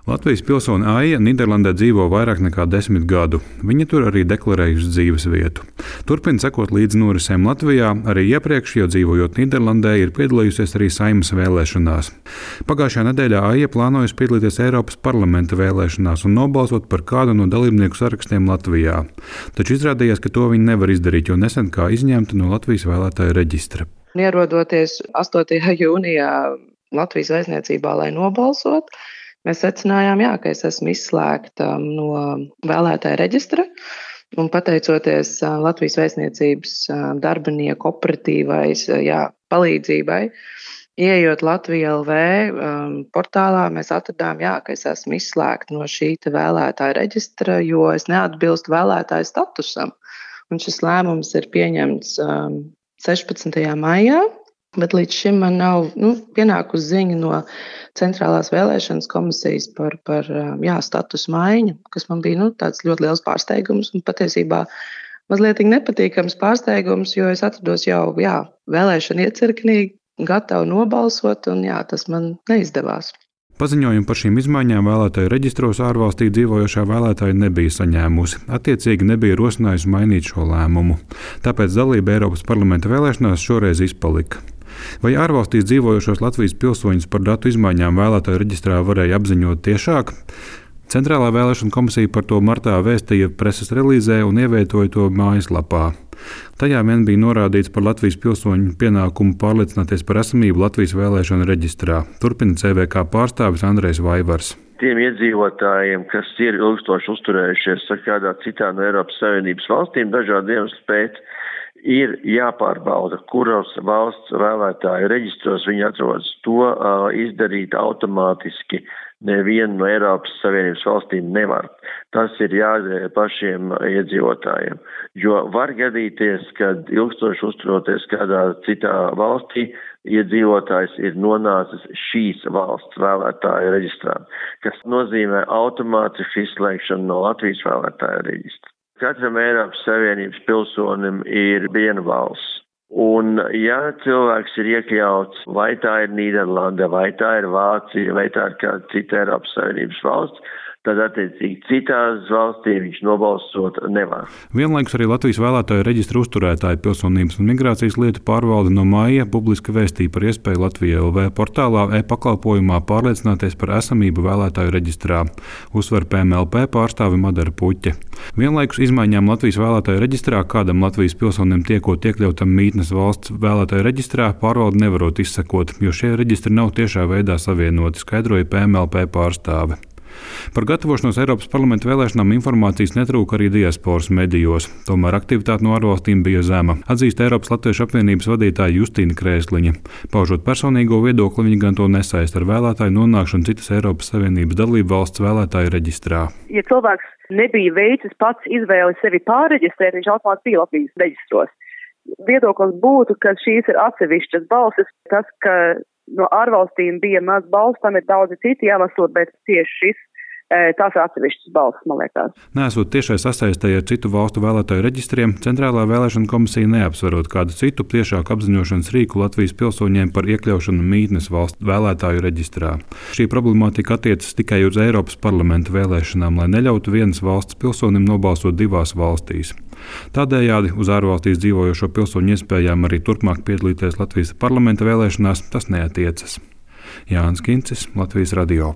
Latvijas pilsone Aija Nīderlandē dzīvo vairāk nekā 10 gadu. Viņa tur arī deklarējusi dzīves vietu. Turpina sekot līdzi norisēm Latvijā, arī iepriekš, jo dzīvojot Nīderlandē, ir piedalījusies arī Saeimas vēlēšanās. Pagājušajā nedēļā Aija plānojusi piedalīties Eiropas parlamenta vēlēšanās un nobalsot par kādu no dalībnieku sarakstiem Latvijā. Taču izrādījās, ka to viņa nevar izdarīt, jo nesen kā izņemta no Latvijas vēlētāju reģistra. Ierodoties 8. jūnijā Latvijas vēstniecībā, lai nobalsot, mēs secinājām, ka es esmu izslēgta no vēlētāja reģistra. Un pateicoties Latvijas vēstniecības darbinieku operatīvais palīdzībai, ieejot Latvija LV portālā, mēs atradām, ka es esmu izslēgta no šī vēlētāja reģistra, jo es neatbilstu vēlētāja statusam. Un šis lēmums ir pieņemts 16. maijā. Bet līdz šim man nav pienākusi ziņa no Centrālās vēlēšanas komisijas par status maiņu, kas man bija tāds ļoti liels pārsteigums un patiesībā mazliet nepatīkams pārsteigums, jo es atrados jau vēlēšana iecirknī, gatava nobalsot, un tas man neizdevās. Paziņojumu par šīm izmaiņām vēlētāju reģistros ārvalstī dzīvojošā vēlētāja nebija saņēmusi. Attiecīgi nebija rosinājusi mainīt šo lēmumu. Tāpēc dalība Eiropas parlamenta vēlēšanās šoreiz izpalika. Vai ārvalstīs dzīvojošos Latvijas pilsoņus par datu izmaiņām vēlētāju reģistrā varēja apziņot tiešāk? Centrālā vēlēšana komisija par to martā vēstīja preses relīzē un ievietoja to mājaslapā. Tajā vien bija norādīts par Latvijas pilsoņu pienākumu pārliecināties par esamību Latvijas vēlēšanu reģistrā. Turpina CVK pārstāvis Andrejs Vaivars. Tiem iedzīvotājiem, kas ir ilgstoši uzturējušies kādā citā no Eiropas Savienības valstīm, dažādu iemeslu pēc, ir jāpārbauda, kuros valsts vēlētāju reģistros viņi atrodas. To izdarīt automātiski nevienu no Eiropas Savienības valstīm nevar. Tas ir jādara pašiem iedzīvotājiem, jo var gadīties, kad ilgstoši uzturoties kādā citā valstī, iedzīvotājs ir nonācis šīs valsts vēlētāju reģistrā, kas nozīmē automātisku izslēgšanu no Latvijas vēlētāju reģistra. Katram Eiropas Savienības pilsonim ir viena valsts. Un, ja cilvēks ir iekļauts, vai tā ir Nīderlande, vai tā ir Vācija, vai tā ir kāda cita Eiropas Savienības valsts, tad attiecīgi citās valstī viņš nobalsot nevar. Vienlaikus arī Latvijas vēlētāju reģistra uzturētāju pilsonības un migrācijas lietu pārvalde no māja publiski vēstīja par iespēju Latvija LV portālā e-pakalpojumā pārliecināties par esamību vēlētāju reģistrā, uzsver PMLP pārstāve Madara Puķe. Vienlaikus izmaiņām Latvijas vēlētāju reģistrā kādam Latvijas pilsonim tiekot iekļautam mītnes valsts vēlētāju reģistrā pārvalde nevarot izsekot, jo šie reģistri nav tiešā veidā savienoti, skaidroja PMLP pārstāve. Par gatavošanos Eiropas parlamenta vēlēšanām informācijas netrūka arī diasporas medijos, tomēr aktivitāte no ārvalstīm bija zema, atzīst Eiropas Latviešu apvienības vadītāja Justīna Krēsliņa. Paužot personīgo viedokli, viņa gan to nesaista ar vēlētāju nonākšanu citas Eiropas Savienības dalību valsts vēlētāju reģistrā. Ja cilvēks nebija veicis pats izvēli sevi pārreģistrēt, viņš automātiski bija Latvijas reģistros. Viedoklis būtu, ka šīs ir atsevišķas balsis. Tas, ka no ārvalstīm bija maz balsu, tam ir daudzi citi iemesli, bet tieši šis tās ir atsevišķas balsis, man liekas. Nesot tiešai sasaistē ar citu valstu vēlētāju reģistriem, Centrālā vēlēšana komisija neapsverot kādu citu tiešāku apziņošanas rīku Latvijas pilsoņiem par iekļaušanu mītnes valstu vēlētāju reģistrā. Šī problemātika attiecas tikai uz Eiropas parlamenta vēlēšanām, lai neļautu vienas valsts pilsonim nobalsot divās valstīs. Tādējādi uz ārvalstīs dzīvojošo pilsoņu iespējām arī turpmāk piedalīties Latvijas parlamenta vēlēšanās tas neatiecas. Jānis Kincis, Latvijas radio.